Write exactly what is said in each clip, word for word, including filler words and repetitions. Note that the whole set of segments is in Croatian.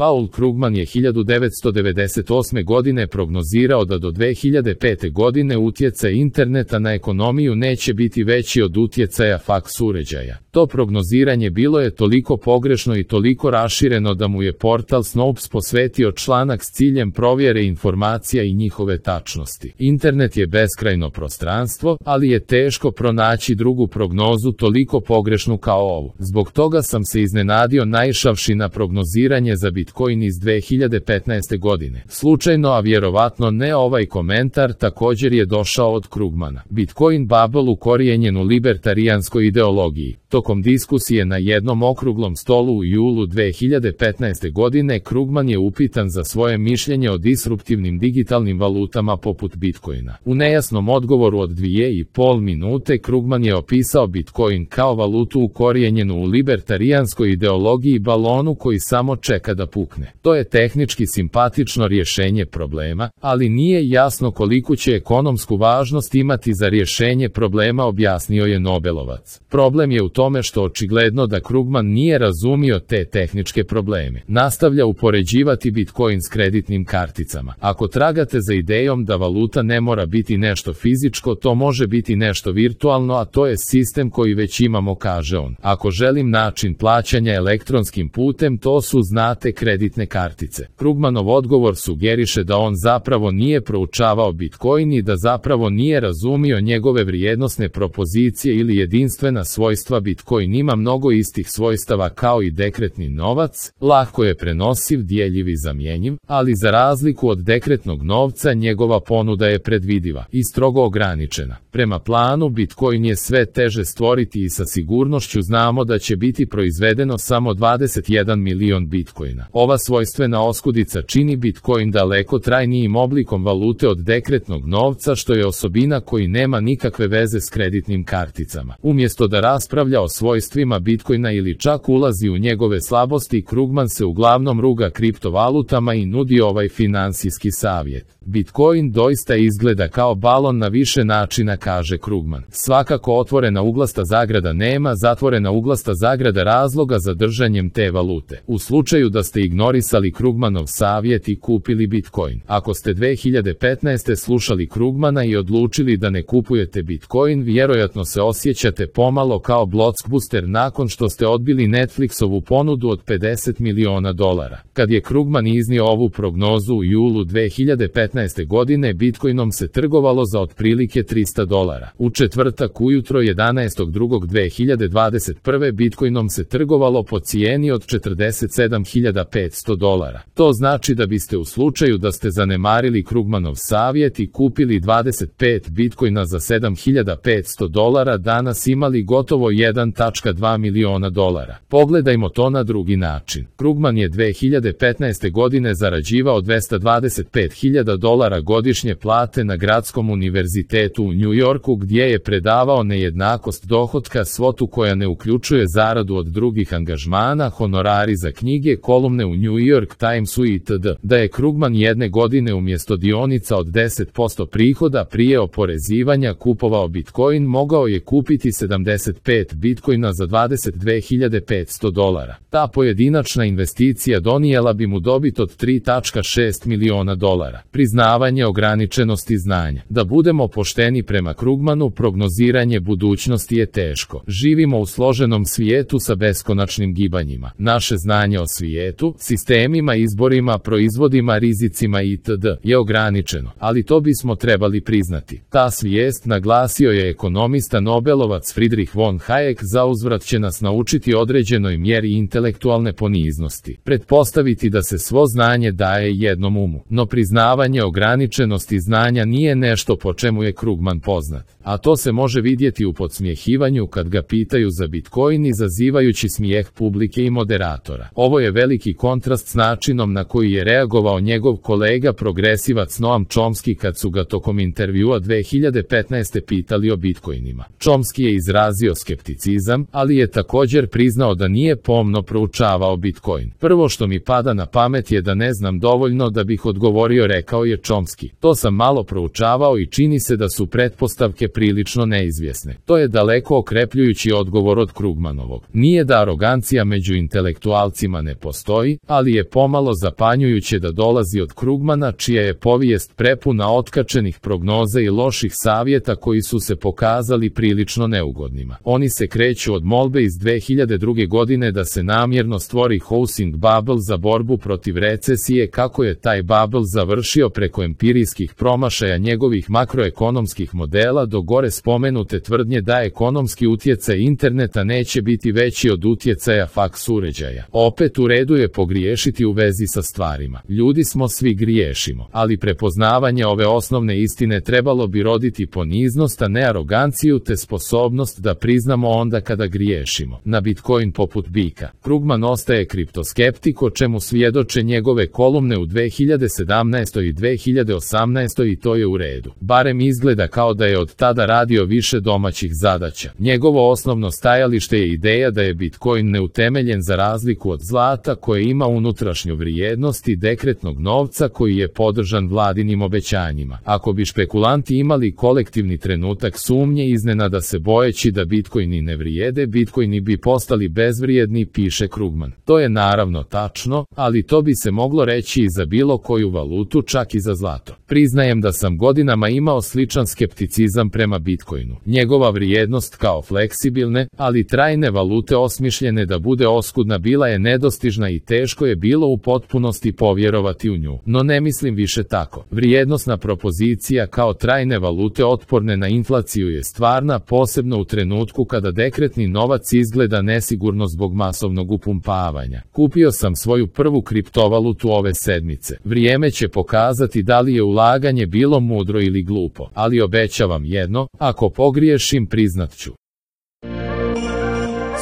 Paul Krugman je hiljadu devetsto devedeset osme. godine prognozirao da do dve hiljade pete. godine utjecaj interneta na ekonomiju neće biti veći od utjecaja faks uređaja. To prognoziranje bilo je toliko pogrešno i toliko rašireno da mu je portal Snopes posvetio članak s ciljem provjere informacija i njihove tačnosti. Internet je beskrajno prostranstvo, ali je teško pronaći drugu prognozu toliko pogrešnu kao ovu. Zbog toga sam se iznenadio naišavši na prognoziranje za Bitcoin iz dve hiljade petnaeste. godine. Slučajno, a vjerovatno ne ovaj komentar, također je došao od Krugmana. Bitcoin bubble ukorijenjen u libertarijanskoj ideologiji. Tokom diskusije na jednom okruglom stolu u julu dve hiljade petnaeste. godine Krugman je upitan za svoje mišljenje o disruptivnim digitalnim valutama poput Bitcoina. U nejasnom odgovoru od dvije i pol minute Krugman je opisao Bitcoin kao valutu ukorijenjenu u libertarijanskoj ideologiji balonu koji samo čeka da pukne. To je tehnički simpatično rješenje problema, ali nije jasno koliku će ekonomsku važnost imati za rješenje problema, objasnio je Nobelovac. Problem je u tome što očigledno da Krugman nije razumio te tehničke probleme. Nastavlja upoređivati Bitcoin s kreditnim karticama. Ako tragate za idejom da valuta ne mora biti nešto fizičko, to može biti nešto virtualno, a to je sistem koji već imamo, kaže on. Ako želim način plaćanja elektronskim putem, to su, znate, kreditne kartice. Krugmanov odgovor sugeriše da on zapravo nije proučavao Bitcoin i da zapravo nije razumio njegove vrijednosne propozicije ili jedinstvena svojstva. Bitcoin ima mnogo istih svojstava kao i dekretni novac, lako je prenosiv, dijeljiv i zamjenjiv, ali za razliku od dekretnog novca njegova ponuda je predvidiva i strogo ograničena. Prema planu Bitcoin je sve teže stvoriti i sa sigurnošću znamo da će biti proizvedeno samo dvadeset jedan milion Bitcoina. Ova svojstvena oskudica čini Bitcoin daleko trajnijim oblikom valute od dekretnog novca, što je osobina koji nema nikakve veze s kreditnim karticama. Umjesto da raspravlja o svojstvima Bitcoina ili čak ulazi u njegove slabosti, Krugman se uglavnom ruga kriptovalutama i nudi ovaj finansijski savjet. Bitcoin doista izgleda kao balon na više načina, kaže Krugman. Svakako otvorena uglasta zagrada nema, zatvorena uglasta zagrada razloga za držanjem te valute. U slučaju da ste ignorisali Krugmanov savjet i kupili Bitcoin. Ako ste dve hiljade petnaeste. slušali Krugmana i odlučili da ne kupujete Bitcoin, vjerojatno se osjećate pomalo kao blockbuster nakon što ste odbili Netflixovu ponudu od pedeset miliona dolara. Kad je Krugman iznio ovu prognozu u julu dve hiljade petnaeste. godine, Bitcoinom se trgovalo za otprilike trista dolara. U četvrtak ujutro jedanaestog drugog dve hiljade dvadeset prve. Bitcoinom se trgovalo po cijeni od četrdeset sedam hiljada petsto dolara. To znači da biste u slučaju da ste zanemarili Krugmanov savjet i kupili dvadeset pet Bitcoina za sedam hiljada petsto dolara danas imali gotovo jedan zarez dva miliona dolara. Pogledajmo to na drugi način. Krugman je dve hiljade petnaeste. godine zarađivao dvesta dvadeset pet hiljada dolara godišnje plate na Gradskom univerzitetu u New Yorku, gdje je predavao nejednakost dohotka, svotu koja ne uključuje zaradu od drugih angažmana, honorari za knjige, kolumne u New York Timesu itd. Da je Krugman jedne godine umjesto dionica od deset posto prihoda prije oporezivanja kupovao Bitcoin, mogao je kupiti sedamdeset pet Bitcoina za dvadeset dve hiljade petsto dolara. Ta pojedinačna investicija donijela bi mu dobit od tri zarez šest miliona dolara. Priznavanje ograničenosti znanja. Da budemo pošteni prema Krugmanu, prognoziranje budućnosti je teško. Živimo u složenom svijetu sa beskonačnim gibanjima. Naše znanje o svijetu, sistemima, izborima, proizvodima, rizicima itd. je ograničeno, ali to bismo trebali priznati. Ta svijest, naglasio je ekonomista Nobelovac Friedrich von Hayek, zauzvrat će nas naučiti određenoj mjeri intelektualne poniznosti. Pretpostaviti da se svo znanje daje jednom umu. No priznavanje ograničenosti znanja nije nešto po čemu je Krugman poznat. A to se može vidjeti u podsmjehivanju kad ga pitaju za Bitcoin, izazivajući smijeh publike i moderatora. Ovo je veliki kontrast s načinom na koji je reagovao njegov kolega progresivac Noam Chomsky kad su ga tokom intervjua dve hiljade petnaeste. pitali o Bitcoinima. Chomsky je izrazio skepticizam, ali je također priznao da nije pomno proučavao Bitcoin. Prvo što mi pada na pamet je da ne znam dovoljno da bih odgovorio, rekao je Chomsky. To sam malo proučavao i čini se da su pretpostavke prilično neizvjesne. To je daleko okrepljujući odgovor od Krugmanovog. Nije da arogancija među intelektualcima ne postoji, postoji, ali je pomalo zapanjujuće da dolazi od Krugmana, čija je povijest prepuna otkačenih prognoza i loših savjeta koji su se pokazali prilično neugodnima. Oni se kreću od molbe iz dve hiljade druge. godine da se namjerno stvori housing bubble za borbu protiv recesije, kako je taj bubble završio preko empirijskih promašaja njegovih makroekonomskih modela do gore spomenute tvrdnje da ekonomski utjecaj interneta neće biti veći od utjecaja faks uređaja. Opet u redu je pogriješiti u vezi sa stvarima. Ljudi smo, svi griješimo, ali prepoznavanje ove osnovne istine trebalo bi roditi poniznost, a ne aroganciju, te sposobnost da priznamo onda kada griješimo. Na Bitcoin poput bika. Krugman ostaje kriptoskeptik, o čemu svjedoče njegove kolumne u dve hiljade sedamnaestoj i dve hiljade osamnaestoj i to je u redu. Barem izgleda kao da je od tada radio više domaćih zadaća. Njegovo osnovno stajalište je ideja da je Bitcoin neutemeljen za razliku od zlata koje ima unutrašnju vrijednost i dekretnog novca koji je podržan vladinim obećanjima. Ako bi špekulanti imali kolektivni trenutak sumnje, iznenada se bojeći da Bitcoini ne vrijede, Bitcoini bi postali bezvrijedni, piše Krugman. To je naravno tačno, ali to bi se moglo reći i za bilo koju valutu, čak i za zlato. Priznajem da sam godinama imao sličan skepticizam prema Bitcoinu. Njegova vrijednost kao fleksibilne, ali trajne valute osmišljene da bude oskudna bila je nedostižna i teško je bilo u potpunosti povjerovati u nju. No ne mislim više tako. Vrijednosna propozicija kao trajne valute otporne na inflaciju je stvarna, posebno u trenutku kada dekretni novac izgleda nesigurno zbog masovnog upumpavanja. Kupio sam svoju prvu kriptovalutu ove sedmice. Vrijeme će pokazati da li je ulaganje bilo mudro ili glupo, ali obećavam jedno, ako pogriješim priznat ću.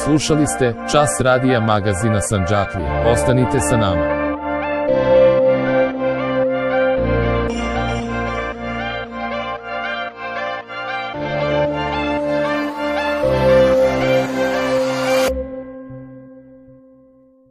Slušali ste Čas radija magazina Sandžaklija. Ostanite sa nama.